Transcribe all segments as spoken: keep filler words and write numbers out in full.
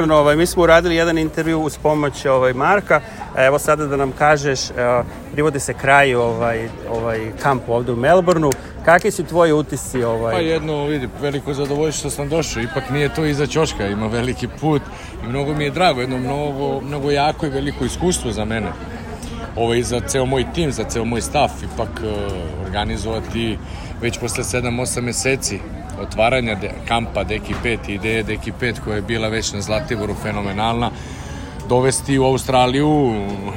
Ovaj, mi smo uradili jedan intervju uz pomoć ovaj, Marka. Evo sada da nam kažeš, evo, privodi se kraj ovaj, ovaj kamp ovdje u Melbourneu. Kakvi su tvoji utisci? Ovaj? Pa jedno, vidi, veliko zadovoljstvo što sam došao. Ipak nije to iza ćoška, ima veliki put i mnogo mi je drago, jedno mnogo, mnogo jako i veliko iskustvo za mene. Ovo i za ceo moj tim, za ceo moj staff, ipak uh, organizovati već posle sedam osam meseci otvaranja de, kampa Deki pet i ideje Deki pet koja je bila već na Zlatiboru fenomenalna, dovesti u Australiju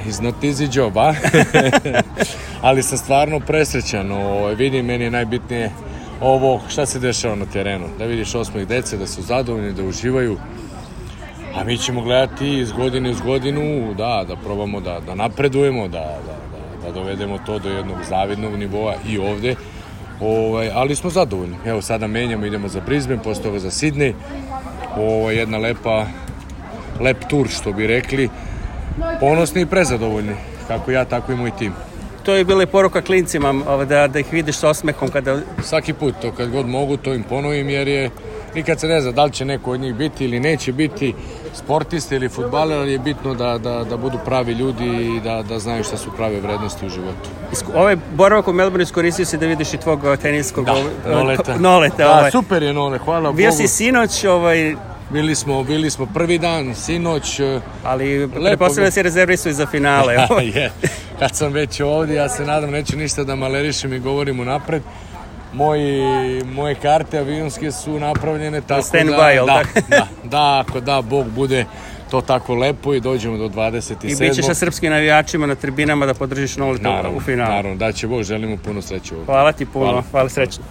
is not easy job, a? Ali sam stvarno presrećan. O, vidim, meni je najbitnije ovo šta se dešava na terenu, da vidiš osmeh dece, da su zadovoljni, da uživaju, a mi ćemo gledati iz godine iz godinu, da, da probamo da, da napredujemo, da, da, da, da dovedemo to do jednog zavidnog nivoa i ovde. Ovaj, ali smo zadovoljni. Evo sada menjamo, idemo za Brisbane, posle toga za Sydney. Ovo je jedna lepa, lep tur, što bi rekli. Ponosni i prezadovoljni, kako ja, tako i moj tim. To je bila i poruka klincima, da, da ih vidiš s osmehom kada... Svaki put, to kad god mogu, to im ponovim, jer je nikad se ne zna da li će neko od njih biti ili neće biti sportiste ili fudbaler, ali je bitno da, da, da budu pravi ljudi i da, da znaju šta su prave vrednosti u životu. Ovaj boravak u Melbourneu iskoristio si da vidiš i tvog teniskog... Da, Noleta. Noleta da, ovaj. Super je Nole, hvala Bogu. Bio si sinoć, ovaj... Bili smo, bili smo prvi dan, sinoć. Ali pretpostavljam da si rezervisao i za finale. Je. Kad sam već ovdje, ja se nadam, neću ništa da malerišem i govorim unapred. Moji, moje karte avionske su napravljene tako stand da, by, da, da, da, ako da, Bog bude to tako lepo i dođemo do dvadeset sedmog I bit ćeš sa srpskim navijačima na tribinama da podržiš Noleta u finalu. Naravno, da će Bog, želimo puno sreće ovdje. Hvala ti puno, hvala, hvala srećno.